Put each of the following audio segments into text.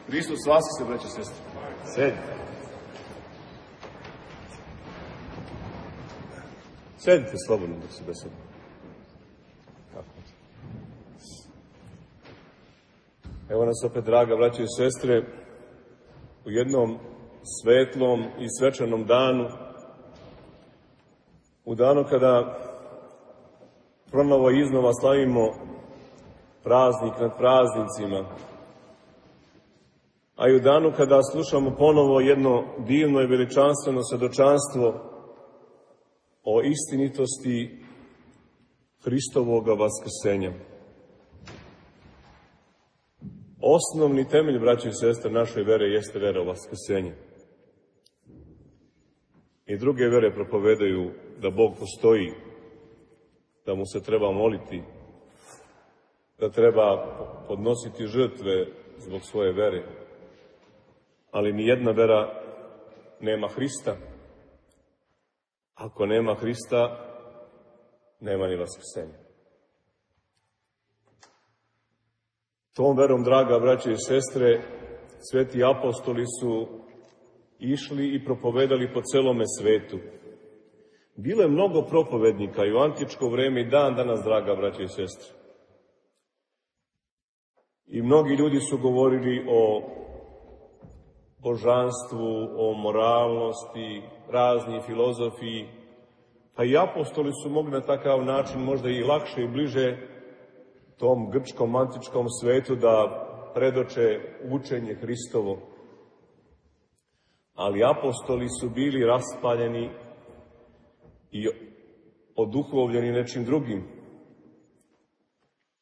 Hristos vaskrsne, braće i sestre. Sedite. Sedite slobodno dok se besedimo. Evo nas opet, draga braće i sestre, u jednom svetlom i svečanom danu, u danu kada ponovo i iznova slavimo praznik nad praznicima, a i u danu kada slušamo ponovo jedno divno i veličanstveno svedočanstvo o istinitosti Hristovoga vaskrsenja. Osnovni temelj, braće i sestre, naše vere jeste vera u vaskrsenje. I druge vere propovedaju da Bog postoji, da mu se treba moliti, da treba podnositi žrtve zbog svoje vere. Ali ni jedna vera nema Hrista. Ako nema Hrista, nema ni vaskrsenja. Tom verom, draga braće i sestre, sveti apostoli su išli i propovedali po celome svetu. Bilo je mnogo propovednika i u antičko vreme i dan danas, draga braće i sestre. I mnogi ljudi su govorili o božanstvu, o moralnosti, razni filozofiji, pa i apostoli su mogli na takav način možda i lakše i bliže tom grčkom antičkom svetu da predoče učenje Hristovo. Ali apostoli su bili raspaljeni i oduhovljeni nečim drugim.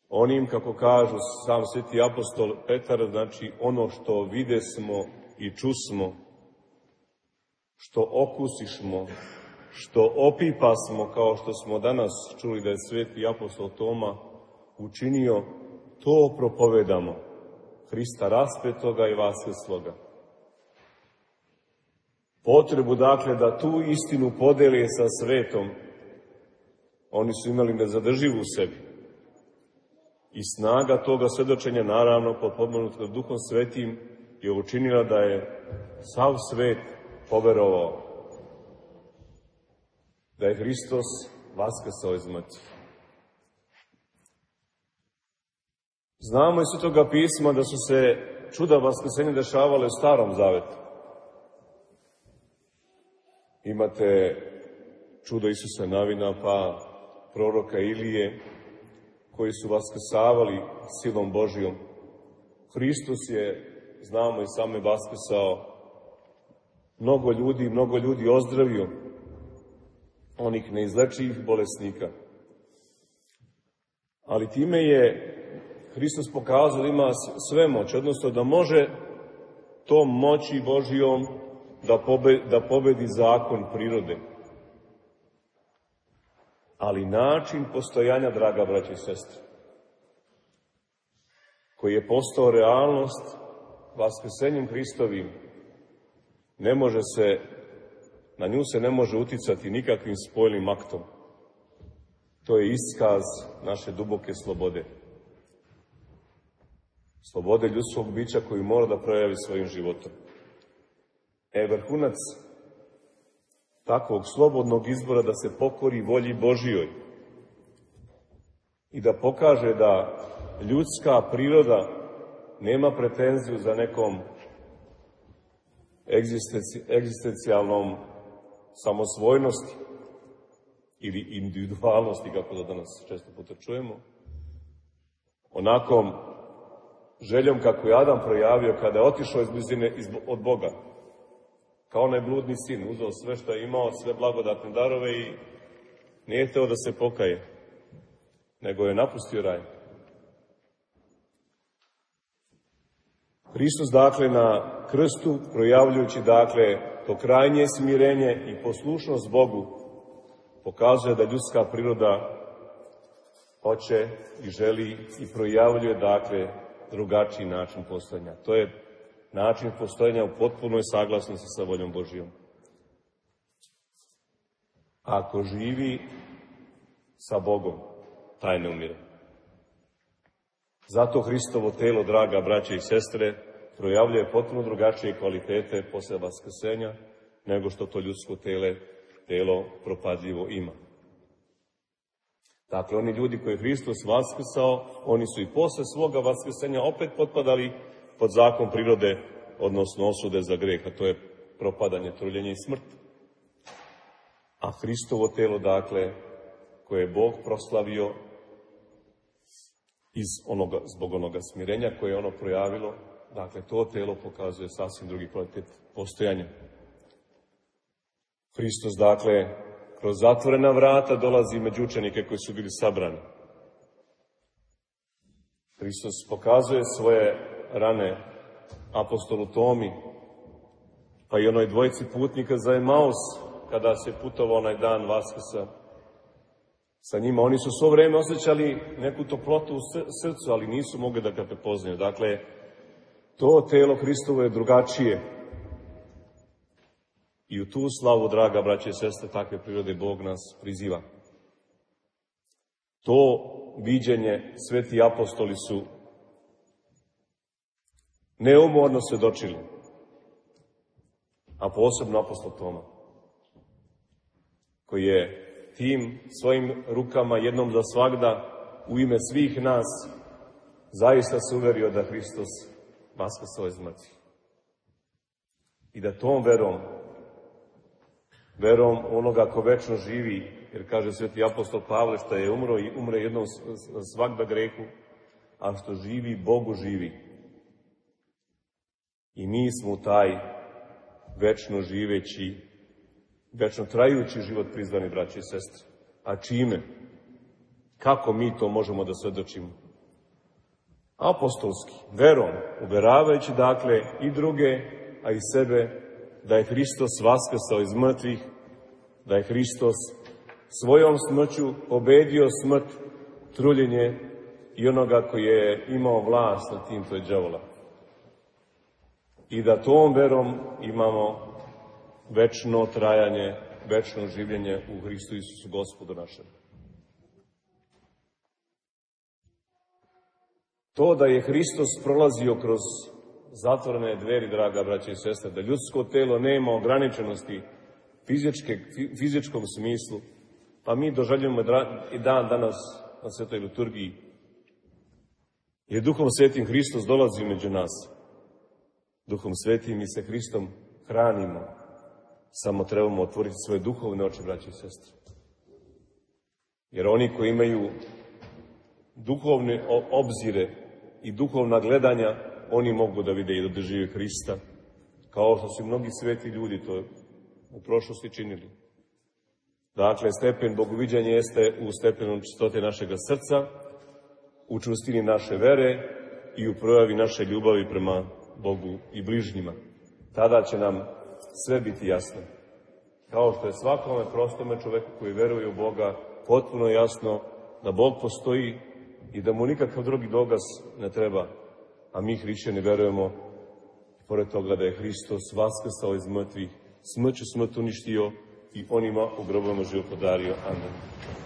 Onim, kako kažu sam sveti apostol Petar, znači ono što videsmo i čusmo, što okusišmo, što opipasmo, kao što smo danas čuli da je sveti apostol Toma učinio, to propovedamo, Hrista raspetoga i vaskrsloga. Potrebu, dakle, da tu istinu podeli sa svetom, oni su imali nezadrživu u sebi. I snaga toga svedočenja, naravno, potpomognuta Duhom Svetim, je učinila da je sav svet poverovao da je Hristos vaskrsao iz mrtvih. Znamo iz Svetoga pisma da su se čuda vaskrsenja dešavale u Starom Zavetu. Imate čudo Isusa Navina, pa proroka Ilije, koji su vaskrsavali silom Božijom. Hristos je, znamo i same, vaskrsao. Mnogo ljudi ozdravio, onih neizlečivih bolesnika. Ali time je Hristos pokazao da ima sve moć, odnosno da može tom moći Božijom da pobedi zakon prirode. Ali način postojanja, draga braće i sestre, koji je postao realnost vaskrsenjem Hristovim, na nju se ne može uticati nikakvim spoljnim aktom. To je iskaz naše duboke slobode. Slobode ljudskog bića koju mora da projavi svojim životom. Vrhunac takvog slobodnog izbora da se pokori volji Božijoj i da pokaže da ljudska priroda nema pretenziju za nekom egzistencijalnom samosvojnosti ili individualnosti, kako da danas često puta čujemo, onakom željom kako je Adam projavio kada je otišao iz blizine od Boga. Kao onaj bludni sin, uzeo sve što je imao, sve blagodatne darove i nije hteo da se pokaje, nego je napustio raj. Hristos, dakle, na krstu, projavljujući, dakle, to krajnje smirenje i poslušnost Bogu, pokazuje da ljudska priroda hoće i želi i projavljuje, dakle, drugačiji način postojanja. To je način postojanja u potpunoj saglasnosti sa voljom Božijom. Ako živi sa Bogom, taj ne umire. Zato Hristovo telo, draga braće i sestre, projavljuje potpuno drugačije kvalitete posle vaskrsenja, nego što to ljudsko telo propadljivo ima. Dakle, oni ljudi koje je Hristos vaskrsao, oni su i posle svoga vaskrsenja opet potpadali pod zakon prirode, odnosno osude za greh, a to je propadanje, truljenje i smrt. A Hristovo telo, dakle, koje je Bog proslavio zbog onoga smirenja koje je ono projavilo, dakle, to telo pokazuje sasvim drugi kvalitet postojanja. Hristos, dakle, kroz zatvorena vrata dolazi među učenike koji su bili sabrani. Hristos pokazuje svoje rane apostolu Tomi, pa i onoj dvojici putnika za Emaus, kada se putovao onaj dan Vaskrsa sa njima. Oni su svo vreme osjećali neku toplotu u srcu, ali nisu mogli da ga prepoznaju. Dakle, to telo Hristovo je drugačije. I u tu slavu, draga braće i sestre, takve prirode Bog nas priziva. To viđenje sveti apostoli su neumorno svedočili, a posebno apostol Toma, koji je tim svojim rukama jednom za svagda u ime svih nas zaista se uverio da Hristos vaskrsao iz mrtvih. I da tom verom onoga ko večno živi, jer kaže sveti apostol Pavle, što je umro i umre jednom svagda grehu, a što živi, Bogu živi. I mi smo taj večno živeći, večno trajući život prizvani, braći i sestre. A čime? Kako mi to možemo da svedočimo? Apostolski, verom, uveravajući dakle i druge, a i sebe, da je Hristos vaskrsao iz mrtvih, da je Hristos svojom smrću pobedio smrt, truljenje i onoga koji je imao vlast nad tim, to je đavola. I da tom verom imamo večno trajanje, večno življenje u Hristu Isusu Gospodu našem. To da je Hristos prolazio kroz zatvorene dveri, draga braće i sestre, da ljudsko telo nema ograničenosti fizičkom smislu, pa mi doželjujemo i dan danas na svetoj liturgiji. Jer Duhom Svetim Hristos dolazi među nas. Duhom Svetim mi se Hristom hranimo. Samo trebamo otvoriti svoje duhovne oči, braće i sestre. Jer oni koji imaju duhovne obzire i duhovna gledanja, oni mogu da vide i da dožive Hrista, kao što su mnogi sveti ljudi to u prošlosti činili. Dakle, stepen bogoviđanja jeste u stepenu čistote našega srca, u čvrstini naše vere i u projavi naše ljubavi prema Bogu i bližnjima. Tada će nam sve biti jasno. Kao što je svakome prostome čoveku koji veruje u Boga potpuno jasno da Bog postoji i da mu nikakav drugi dokaz ne treba. A mi, hrišćani, verujemo, pored toga da je Hristos vaskrsao iz mrtvih, smrću smrt uništio i onima u grobovima život podario. Amen.